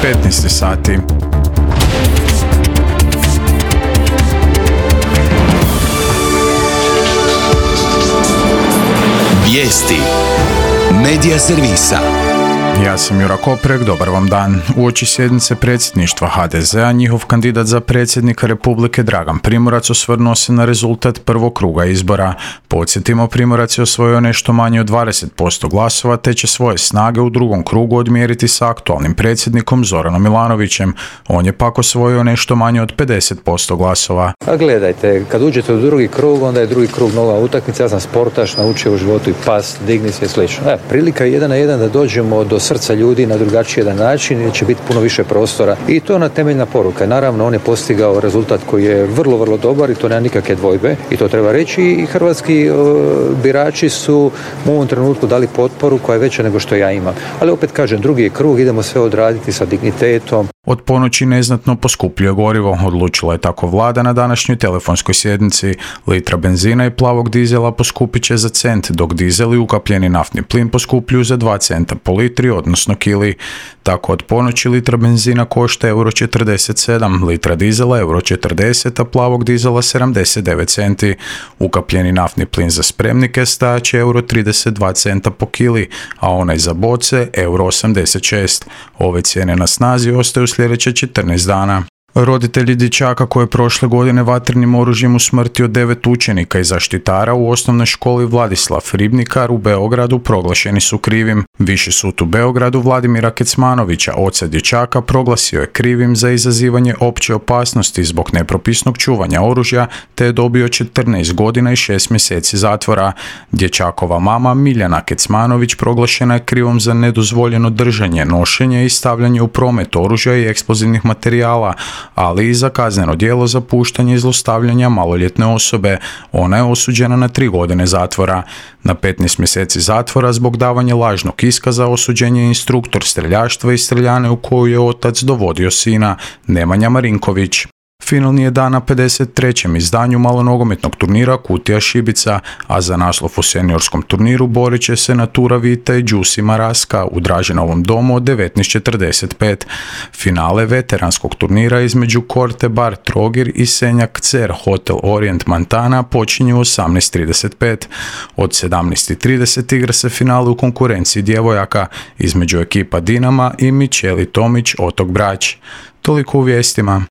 15 sati. Vijesti Medija servisa. Ja sam Jura Koprek, dobar vam dan. Uoči sjednice predsjedništva HDZ-a, njihov kandidat za predsjednika Republike Dragan Primorac osvrnuo se na rezultat prvog kruga izbora. Podsjetimo, Primorac je osvojio nešto manje od 20% glasova, te će svoje snage u drugom krugu odmjeriti sa aktualnim predsjednikom Zoranom Milanovićem. On je pak osvojio nešto manje od 50% glasova. A gledajte, kad uđete u drugi krug, onda je drugi krug nova utakmica. Ja sam sportaš, naučio u životu i past, digni se i slično. Prilika je 1 na 1 da dođemo do srca ljudi na drugačiji jedan način i će biti puno više prostora. I to je ona temeljna poruka. Naravno, on je postigao rezultat koji je vrlo, vrlo dobar i to nema nikakve dvojbe. I to treba reći. I hrvatski birači su u ovom trenutku dali potporu koja je veća nego što ja imam. Ali opet kažem, drugi je krug, idemo sve odraditi sa dignitetom. Od ponoći neznatno poskupljuje gorivo, odlučila je tako vlada na današnjoj telefonskoj sjednici. Litra benzina i plavog dizela poskupit će za cent, dok dizel i ukapljeni naftni plin poskupljuju za 2 centa po litri, odnosno kili. Tako od ponoći litra benzina košta €47, litra dizela €40, a plavog dizela 79 centi. Ukapljeni naftni plin za spremnike stajaće €32 centa po kili, a onaj za boce €86. Ove cijene na snazi ostaju sljedeće 14 dana. Roditelji dječaka koje je prošle godine vatrenim oružjem usmrtio 9 učenika i zaštitara u osnovnoj školi Vladislav Ribnikar u Beogradu proglašeni su krivim. Viši sud u Beogradu Vladimira Kecmanovića, oca dječaka, proglasio je krivim za izazivanje opće opasnosti zbog nepropisnog čuvanja oružja, te je dobio 14 godina i 6 mjeseci zatvora. Dječakova mama Miljana Kecmanović proglašena je krivom za nedozvoljeno držanje, nošenje i stavljanje u promet oružja i eksplozivnih materijala, ali i za kazneno djelo zapuštanja i zlostavljanja maloljetne osobe. Ona je osuđena na 3 godine zatvora. Na 15 mjeseci zatvora zbog davanja lažnog iskaza osuđen je instruktor streljaštva i streljane u koju je otac dovodio sina, Nemanja Marinković. Finalni je dan na 53. izdanju malonogometnog turnira Kutija Šibica, a za naslov u seniorskom turniru borit će se Natura Vita i Đusi Maraska u Draženovom domu od 19:45. Finale veteranskog turnira između Korte Bar Trogir i Senjak Cer Hotel Orient Montana počinju u 18:35. Od 17:30 igra se finale u konkurenciji djevojaka između ekipa Dinama i Mičeli Tomić Otok Brač. Toliko u vijestima.